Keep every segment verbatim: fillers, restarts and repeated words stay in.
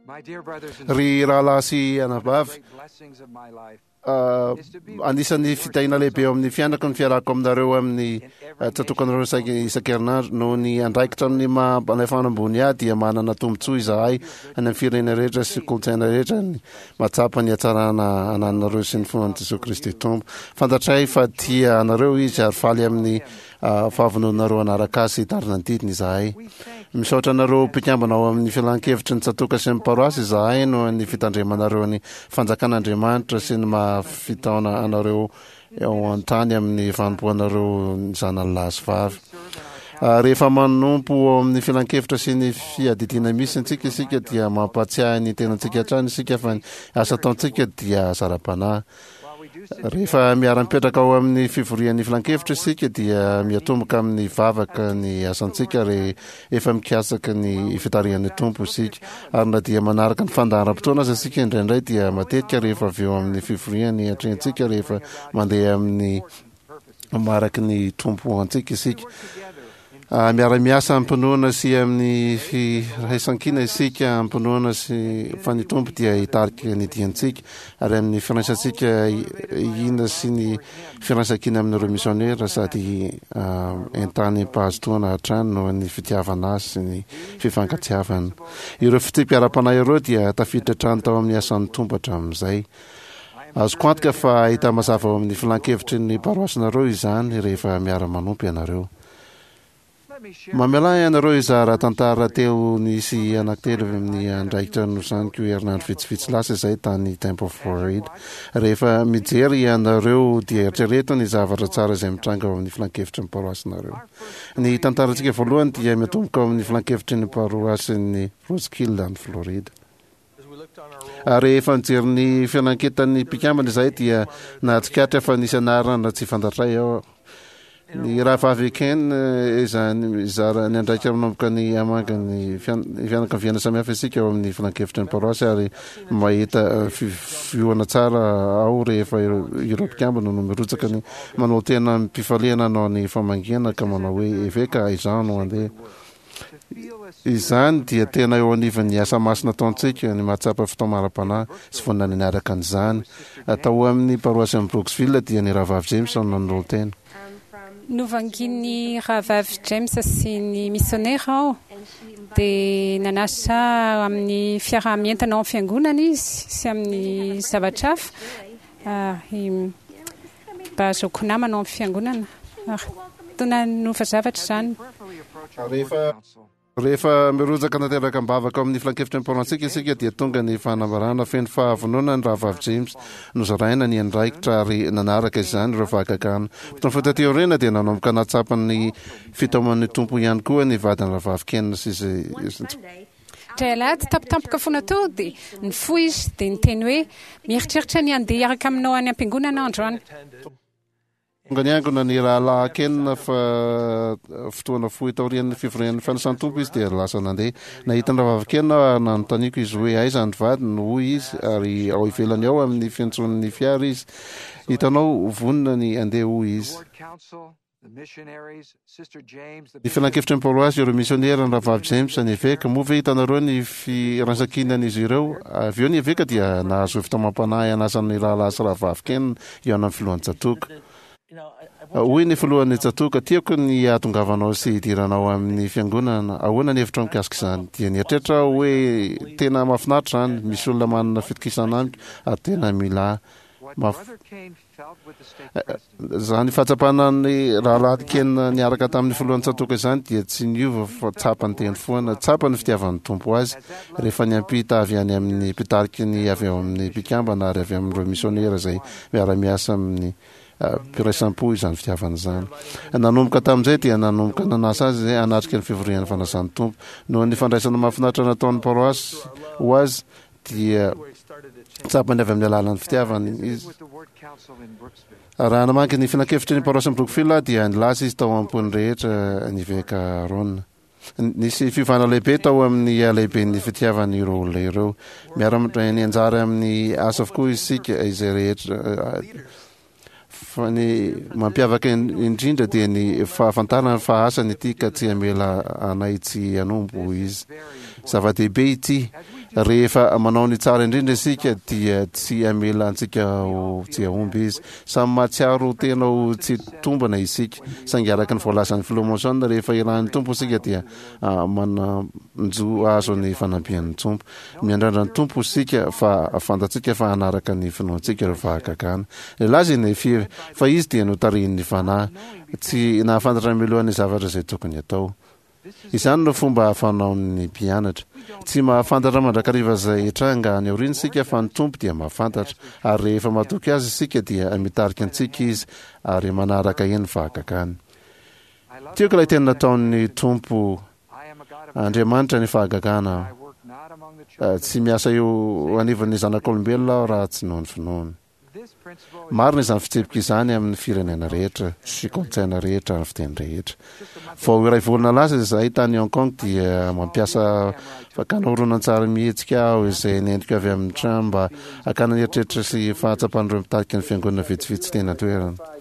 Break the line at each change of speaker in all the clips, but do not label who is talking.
Ry rahalahy sy anabavy, anisan'ny fitahiana lehibe eo amin'ny fiainako ny fiarahako aminareo amin'ny tsatokanareo isan-kerinandro. Noho ny andraikitra amin'ny maha mpanefana ambony ahy dia manana tombontsoa izahay any amin'ny firenena rehetra sy kolontsaina rehetra ny mahatsapa ny hatsarana anananareo sy ny finoan'i Jesoa Kristy Tompo. Fantatray fa tia anareo Izy ary faly amin'ny fahavononanareo hanaraka Azy sy hitarina ny didiny izahay. Misaotra anareo mpikambana ao amin'ny filan-kevitry ny tsatoka sy ny paroasy izahay noho ny fitandremanareo ny fanjakan'Andriamanitra sy ny maha fitaona anareo eo an-tany amin'ny fanompoanareo ny zanany lahy sy vavy. Rehefa manompo ao amin'ny filan-kevitra sy ny fiadidiana misy antsika isika dia mampahatsiahy ny tenantsika hatrany isika fa ny asa ataontsika dia asa ara-panahy. Rehefa miara-mipetraka ao amin'ny fivorian'ny filankevitra isika dia miatomboka amin'ny vavaka ny asantsika rehefa mikatsaka ny fitarihan'ny Tompo isika. Ary na dia manaraka ny fandaharam-potoana aza isika indraindray dia matetika rehefa avy eo amin'ny fivoriany atrehintsika rehefa mandeha amin'ny mariky ny Tompo antsika isika. Miara-miasa amim-pinoana sy amin'ny firaisankina isika amim-pinoana sy fa ny Tompo dia hitarika ny diantsika ary amin'ny firaisantsika hina sy ny firaisankina amin'ireo misionera sady entanim-pahazotoana hatrany noho ny fitiavana azy sy ny fifankatiavana. Ireo fitsipika ara-panahy ireo dia tafiditra hatrany tao amin'ny asan'ny Tompo hatramin'izay. Azoko antoka fa hita mazava ao amin'ny filan-kevitry ny paroasinareo izany rehefa miara-manompo ianareo. Mamelà ianareo hizara tantara telo nisy anankitelo avy amin'ny andraikitra nosaniko herinandro vitsivitsy lasa izay tany Tampa Florida. Rehefa mijery ianareo dia eritrereto ny zavatra tsara izay mitranga ao amin'ny filankevitry ny paroasinareo. Ny tantarantsika voalohany dia miatomboka ao amin'ny filankevitry ny paroasin'ny Roseville any Florida. Ary rehefa nijery ny fiananketan'ny mpikambana izahay dia nahatsikaritra fa nisy anarana tsy fantatray ao. Ny rahavavy Ken eh, izany mizara ny andraikitra manomboka ny hamanga ny fianakaviana samihafa isika ao amin'ny filankevitry ny paroasy ary mahita eh, fivoana tsara ao rehefa ireo mpikambana no mirotsaka ny manao tena amim-pifaliana hanao ny famangiana ka manao hoe eveka izaho no handeha. Izany dia tena eo anivon'ny asa masina ataontsika ny mahatsapa fitaomana ara-panahy sy vonona ny hanaraka an'izany. Tao amin'ny paroasin'i Brooksville dia ny Rahavavy James no nanolo-tena.
Novangian'ny Rahavavy James sy ny misionera aho, dia nanasa ahy amin'ny fiaraha-mientana ao amin'ny fiangonana izy sy amin'ny zavatra hafa, ary mba hahazoako namana ao amin'ny fiangonana. Ary toa nanova zavatra izany.
Rehefa Rehefa mirotsaka tanteraka am-bavaka ao amin'ny filankevitry ny Mpamonjintsika isika dia tonga ny fanambarana feno fahavonona ny Rahavavy James. Nozaraina ny andraikitra ary nanaraka izany ireo fahagagana. Fotoana fohy taty aoriana dia nanomboka nahatsapa ny fitaoman'ny Tompo ihany koa ny vadin'ny Rahavavy Ken sy izay
Indray alahady tampotampoka foana teo dia nifoha izy dia niteny hoe, Mieritreritra ny handeha hiaraka aminao any am-piangonana aho androany.
Tonga niangona ny Rahalahy Ken fa fotoana fohy taorian'ny fivorian'ny fanasan'ny Tompo izy dia lasa nandeha. Nahita ny Rahavavy Ken aho ary nanontaniako izy hoe aiza ny vadiny, hoy izy, ary ao ivelany ao amin'ny fiantson'ny fiara izy. Hitanao, vonona ny handeha, hoy izy. Ny filankevitry ny paroasy, ireo misionera, ny Rahavavy James, ny eveka. Moa ve hitanareo ny firaisankinan'izy ireo? Avy eo ny eveka dia nahazo fitaomam-panahy hanasa ny Rahalahy sy Rahavavy Ken hihaona amin'ny filohan'ny tsatòka. Hoy ny filohan'ny tsatòka, Tiako ny hahatongavanao sy hidiranao amin'ny fiangonana. Ahoana ny hevitrao mikasika izany? Dia nieritreritra aho hoe, Tena mahafinaritra izany. Misy olona manana fitokisana amiko ary tena mila ahy. Izany fahatsapana ny Rahalahy Ken niaraka tamin'ny filohan'ny tsatòka izany dia tsy niova fa tsapany teny foana. Tsapa ny fitiavan'ny Tompo azy rehefa niampita avy any amin'ny mpitariky ny avy ao amin'ny mpikambana ary avy amin'ireo misionera izay miara-miasa amin'ny mpiraisam-po izany fitiavana izany. Nanomboka tamin'izay dia nanomboka nanasa azy hanatrika ny fivorian'ny fanasan'ny Tompo. Noho ny fandraisana mahafinaritra nataon'ny paroasy ho azy dia tsapany avy amin'ny alalan'ny fitiavany izy. Raha namaky ny filankevitry ny paroasin'i Brookfield aho dia nilaza izy tao am-pony rehetra ny eveka Aaron. Nisy fiovana lehibe tao amin'ny halehiben'ny fitiavany ireo olona ireo. Miara-mandray ny anjara amin'ny asa avokoa isika izay rehetra. Fa ny mampiavaka indrindra dia ny fahafantarana fa asany ity ka tsy hamela anay tsy hanompo, hoy izy. Zava-dehibe ity. Rehefa manao ny tsara indrindra isika dia tsy hamela antsika ho tsy hahomby Izy. Samy mahatsiaro tena ho tsy tombana isika, saingy araka ny voalazan'ny Filoha Monson, rehefa irahin'ny Tompo isika dia manan-jo hahazo ny fanampian'ny Tompo. Miandrandra ny Tompo isika fa fantatsika fa hanaraka ny finoantsika ireo fahagagana. Nilaza i Nefia fa izy dia notarihin'ny Fanahy, tsy nahafantatra mialoha ny zavatra izay tokony hatao. Izany no fomba fanaon'ny mpianatra. Tsy mahafantatra mandrakariva izay hitranga any aoriana isika fa ny Tompo dia mahafantatra, ary rehefa matoky Azy isika dia mitarika antsika Izy ary manaraka eny fahagagany. Tiako ilay teny nataon'ny Tompo, Andriamanitra ny fahagagana aho. Tsy miasa eo anivon'ny zanak'olombelona aho raha tsy noho ny finoany. Marina izany fitsipika izany amin'ny firenena rehetra sy kolontsaina rehetra ary fiteny rehetra. Vao iray volana lasa izahay tany Hong Kong dia mampiasa fakana horonantsary mihetsika aho izay nentiko avy amin'ny trano mba hakana ny eritreritra sy fahatsapan'ireo mpitarika ny fiangonana vitsivitsy teny an-toerana.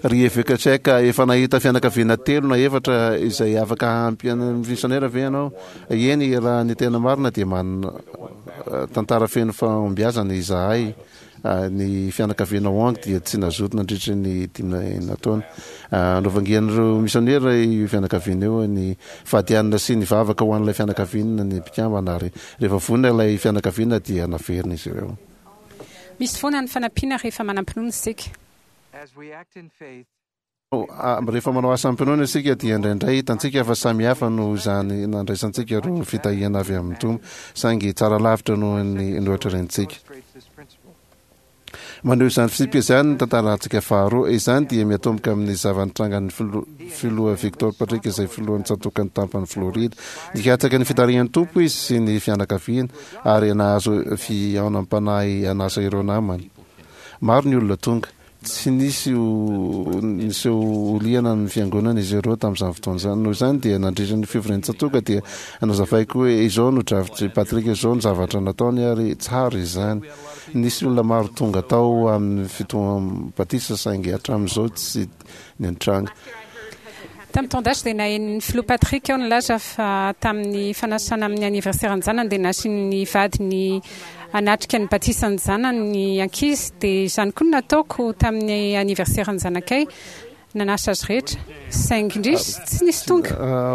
Ry Eveka Tchèque, efa nahita fianakaviana telo na efatra izay afaka hampy an'ny misionera ve ianao? Eny, raha ny tena marina dia manana tantara feno fahombiazana izahay. Ny fianakaviana Wong dia tsy nazoto nandritra ny dimy enina taona. Novangian'ireo misionera io fianakaviana io. Nifady hanina sy nivavaka ho an'ilay fianakaviana ny mpikambana ary rehefa vonona ilay fianakaviana dia naverina izy ireo.
Misy foana ny fanampiana rehefa manam-pinoana isika.
Rehefa manao asa amim-pinoana isika dia indraindray hitantsika fa samy hafa noho izany nandraisantsika ireo fitahiana avy amin'ny Tompo, saingy tsara lavitra noho ny noeritreretintsika. Maneho izany fitsipika izany ny tantarantsika faharoa. Izany dia miatomboka amin'ny zava-nitrangan'ny Filoha Victor Patrick izay filohan'ny tsatòkan'ny tampan'i Florida. Nikatsaka ny fitarihan'ny Tompo izy sy ny fianakaviany ary nahazo fihaonam-panahy hanasa ireo namany. Maro ny olona tonga. Tsy nisy niseho ho liana amin'ny fiangonana izy ireo tamin'izany fotoana izany. Noho izany dia nandritra ny fivorian-tsatoka dia nazavaiko hoe izao no drafitr'i Patrick, izao no zavatra nataony ary tsara izany. Nisy olona maro tonga tao amin'ny fotoam-batisa saingy hatramin'izao tsy nitranga.
Tamin'ny taon-dasa dia naheno ny Filoha Patrick aho nilaza fa tamin'ny fanasana amin'ny anniversaire-n-janany dia nasian'ny vadiny hanatrika ny batisan-janany ny ankizy dia izany koa no nataoko tamin'ny anniversaire-n-janakay. Nanasa azy rehetra, saingy indrisy, tsy nisy tonga.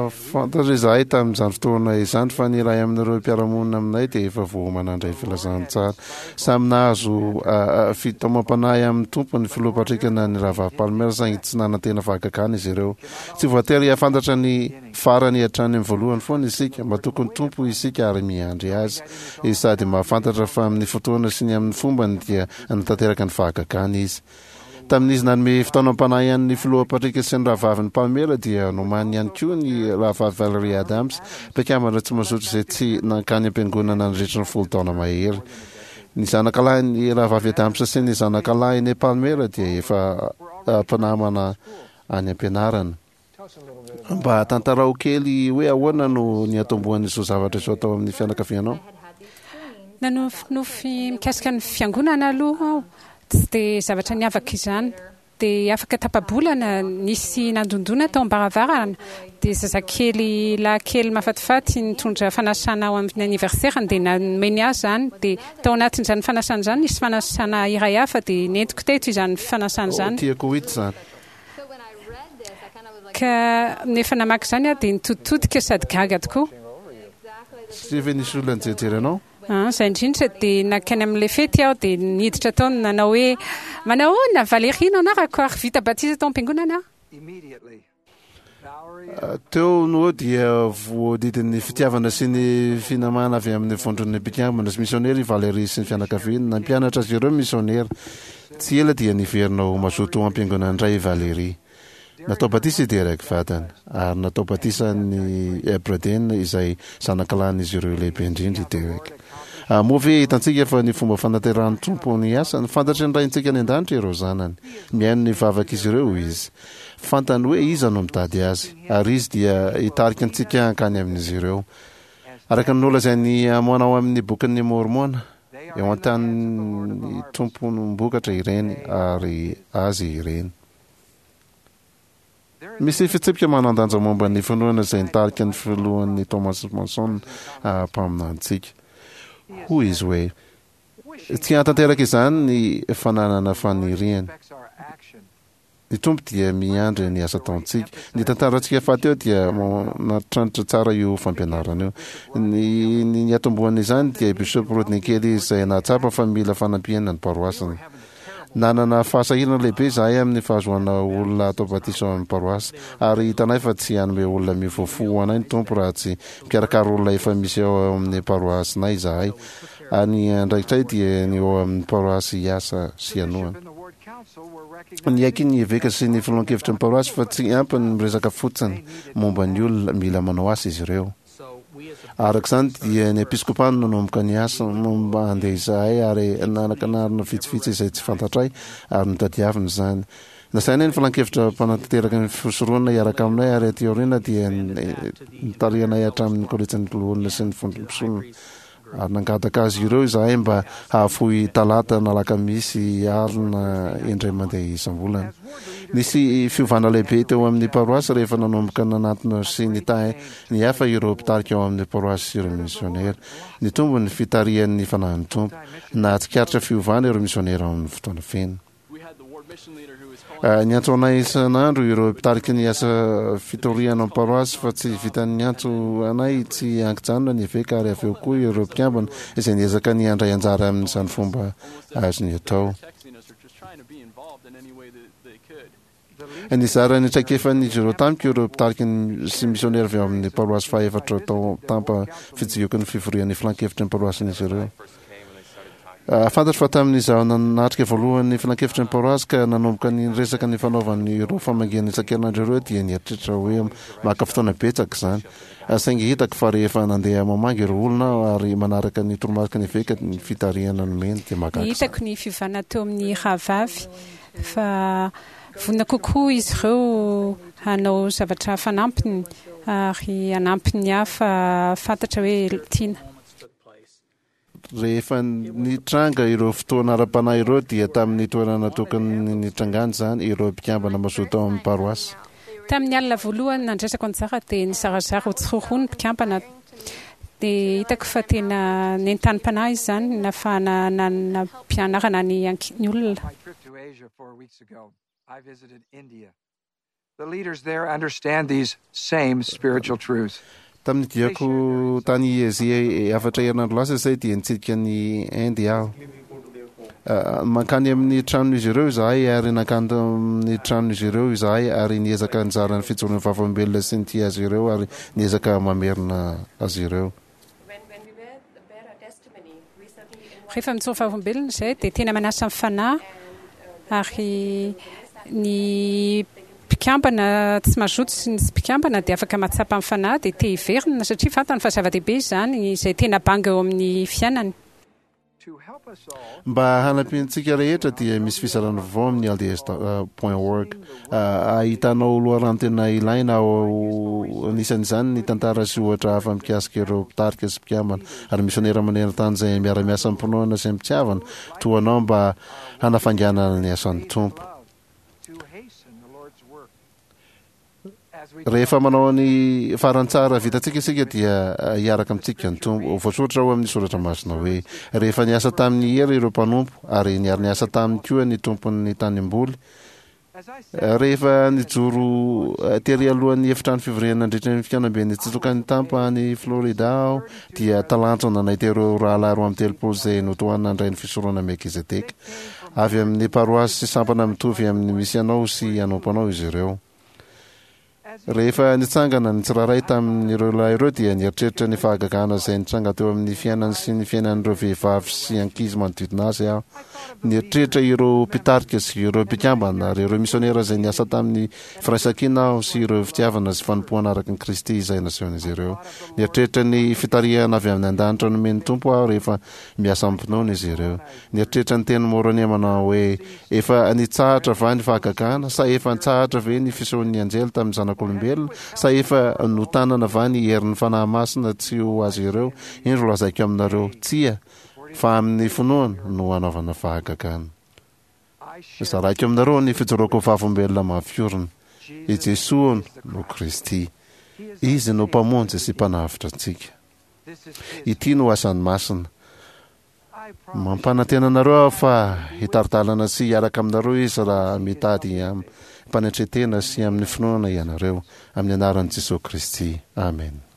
Fantatra izahay tamin'izany fotoana izany fa ny iray amin'ireo mpiara-monina aminay dia efa voaomana handray filazantsara. Samy nahazo fitaomam-panahy amin'ny Tompo ny Filoha Patrick na ny Rahavavy Palmer, saingy tsy nanantena fahagagana izy ireo. Tsy voatery hahafantatra ny farany hatrany amin'ny voalohany foana isika. Matoky ny Tompo isika ary miandry Azy. Izy sady mahafantatra fa amin'ny fotoana sy ny amin'ny fombany dia hanatanteraka ny fahagagana Izy. Tamin'izy nanome fitaonam-panahy an'ny Filoha Patrick sy ny rahavaviny Pamela dia nomaniny ihany koa ny Rahavavy Valerie Adams, mpikambana tsy mazoto izay tsy nankany am-piangonana nandritra ny folo taona mahery. Ny zanakalahin'ny Rahavavy Adams sy ny zanakalahin'i Palmer dia efa mpinamana any am-pianarana. Mba tantarao kely hoe ahoana no niatombohan'izao zavatra izao tao amin'ny fianakavianao?
Nanofinofy mikasika ny fiangonana aloha aho. Tsy dia zavatra niavaka izany. Dia afaka tapa-bolana, nisy nandondona tao am-baravarana. Dia zazakely lahy kely mahafatifaty nitondra fanasana ho amin'ny anniversaire-ny dia nomeny ahy izany. Dia tao anatin'izany fanasana izany nisy fanasana iray hafa dia nentiko teto izany fanasana izany.
Oh, tiako ho hita izany.
Ka nefa namaky izany aho dia nitoditodika sady gaga tokoa.
Satria ve nisy olona nijery anao?
Ah, izay indrindra. Dia nankany amin'ilay fety aho dia niditra tao nanao hoe, Manao ahoana? Valérie no anarako ary vita batisa tao am-piangonana aho.
Teo no eo dia voadidin'ny fitiavana sy ny finamana avy amin'ny vondron'ny mpikambana sy misionera i Valérie sy ny fianakaviany. Nampianatra azy ireo ny misionera. Tsy ela dia niverina ho mazoto ao am-piangonana indray i Valérie. Natao batisa i Derek vadiny, ary natao batisa an'i Braden izay zanakalahin'izy ireo lehibe indrindra i Derek. Moa ve hitantsika fa ny fomba fanaterahan'ny Tompo ny asany? Fantatry ny Raintsika any An-danitra ireo zanany. Mihaino ny vavak'izy ireo Izy. Fantany hoe iza no mitady Azy, ary Izy dia hitarika antsika hankany amin'izy ireo. Araka ny nolazain'i Amôna ao amin'ny Bokin'i Môrmôna, eo an-tanin'ny Tomponom-bokatra ireny, ary Azy ireny. Misy fitsipika manan-danja momba ny finoana izay nitarika ny filohan'ny Thomas Monson mpaminanintsika. Hoy izy hoe tsy hahatanteraka izany ny fananana faniriana. Ny Tompo dia miandry ny asa ataontsika. Ny tantarantsika fahateo dia manatranitra tsara io fampianarana io. Ny ny niatombohan'izany dia Bishop Rodney Kelly izay nahatsapa fa mila fanampiana ny paroasiny. Nanana fahasahiranana lehibe izahay amin'ny fahazoana olona atao batisa ao amin'ny paroasy, ary hitanay fa tsy hanome olona miova fo ho anay ny Tompo raha tsy mikarakara olona efa misy ao amin'ny paroasinay izahay, ary ny andraikitray dia ny ao amin'ny paroasy hiasa sy hanohana. Niaiky ny eveka sy ny filohan-kevitry ny paroasy fa tsy ampy ny miresaka fotsiny momba ny olona, mila manao asa izy ireo. Araka izany dia ny episkopa no nanomboka ny asa momba andeha izahay ary nanakanarina vitsivitsy izay tsy fantatray ary notadiavina izany. Nasainay ny filankevitra mpanatanteraka ny fisoronana hiaraka aminay ary aty aoriana dia notarihanay hatramin'ny kolejin'ny loholona sy ny vondrom-pisorona. Ary nangataka azy ireo izahay mba hahafoy talata na alakamisy alina indray mandeha isam-bolana. Nisy fiovana lehibe teo amin'ny paroasy rehefa nanomboka nanatona sy nitahy ny hafa ireo mpitarika ao amin'ny paroasy sy ireo misionera. Nitombo ny fitarihan'ny fanahin'ny Tompo. Nahatsikaritra fiovana ireo misionera ao amin'ny fotoana feno. Niantso anay isan'andro ireo mpitarika ny asa fitoriana amin'ny paroasy fa tsy vitan'ny niantso anay tsy ankijanona ny eveka ary avy eo koa ireo mpikambana izay niezaka ny handray anjara amin'izany fomba azony atao. Nizara ny traikefan'izy ireo tamiko ireo mpitarika sy misionera avy ao amin'ny paroasy fahaefatra tao Tampa fitsidihako ny fivorian'ny filankevitry ny paroasin'izy ireo. Fantatro fa tamin'izaho nanatrika voalohany ny filankevitry ny paroasy ka nanomboka ny niresaka ny fanaovany ireo famangiana isan-kerinandro ireo dia nieritreritra hoe maka fotoana betsaka izany. Saingy hitako fa rehefa nandeha mamangy ireo olona aho ary manaraka ny toromariky ny eveka ny fitarihana nomeny dia mahagaga
izany. Hitako ny fiovana teo amin'ny rahavavy fa vonona kokoa izy ireo hanao zavatra fanampiny ary hanampy ny hafa hahafantatra hoe tiana.
Rehefa nitranga ireo fotoana ara-panahy ireo dia tamin'ny toerana tokony nitrangany izany ireo mpikambana mazoto ao amin'ny paroasy.
Tamin'ny alina voalohany nandraisako anjara dia nizarazara ho tsiroaroa ny mpikambana. Dia hitako fa tena nentanim-panahy izany nahafahana nanam-pianarana ny ny olona.
The leaders there understand these same spiritual truths.
Tamin'ny diako tany Azia efatra herinandro lasa izay dia nitsidika an'i Inde aho. Mankany amin'ny tranon'izy ireo izahay ary nankany amin'ny tranon'izy ireo izahay ary niezaka nizara ny fijoroan'ny vavolombelona sy nitia azy ireo ary niezaka mamerina azy ireo.
Rehefa mijoro vavolombelona izay dia tena manasa ny fanahy ary ny mpikambana tsy mazoto sy ny tsy mpikambana dia afaka mahatsapa ny fanahy dia te hiverina satria fantany fa zava-dehibe izany izay tena banga eo amin'ny fiainany.
Mba hanampiantsika rehetra dia misy fizarana vaovao amin'ny L D S point org ahitanao loharano tena ilaina ao, anisan'izany ny tantara sy ohatra hafa mikasika ireo mpitarika sy mpikambana ary misionera maneran-tany izay miara-miasa amim-pinoana sy amim-pitiavana toa anao mba hanafainganana ny asan'ny Tompo. Rehefa manao ny farany tsara vitantsika isika dia hiaraka amintsika ny Tompo. Voasoratra ao amin'ny Soratra Masina hoe, Rehefa niasa tamin'ny hery ireo mpanompo, ary niara-niasa taminy koa ny tompon'ny tanimboly. Rehefa nijoro tery alohan'ny efitrano fivoriana nandritra ny fikaonamben'ny Tsitsokan'ny Tampa any Florida aho, dia talanjona nahita ireo rahalahy roa amby telopolo izay notohanina handray ny fisoronana Melkizedeka. Avy amin'ny paroasy sy sampana mitovy amin'ny misy anao sy hanompo anao izy ireo. Rehefa nitsangana ny tsirairay tamin'ireo lahy ireo dia nieritreritra ny fahagagana izay nitranga teo amin'ny fiainany sy ny fiainan'ireo vehivavy sy ankizy manodidina azy aho. Nieritreritra ireo mpitarika sy ireo mpikambana ary ireo misionera izay niasa tamin'ny firaisankina aho sy ireo fitiavana sy fanompoana araka ny Kristy izay nasehon'izy ireo. Nieritreritra ny fitarihana avy amin'ny an-danitra nomen'ny Tompo aho rehefa miasa amim-pinoana izy ireo. Nieritreritra ny tenin'i Môrônia manao hoe, Efa nitsahatra va ny fahagagana? Sa efa nitsahatra ve ny fisehoan'ny anjely tamin'ny zanak'olombelona? Sa efa notanana va ny herin'ny Fanahy Masina tsy ho azy ireo? Indro lazaiko aminareo, Tsia, fa amin'ny finoana no hanaovana fahagagana. Zaraiko aminareo ny fijoroako ho vavolombelona mafy orina. I Jesoa no Kristy. Izy no Mpamonjy sy Mpanavotra antsika. Ity no asany masina. Mampanantena anareo aho fa hitari-dalana sy hiaraka aminareo Izy raha mitady amim-panetren-tena sy amin'ny finoana ianareo. Amin'ny anaran'i Jesoa Kristy. Amena.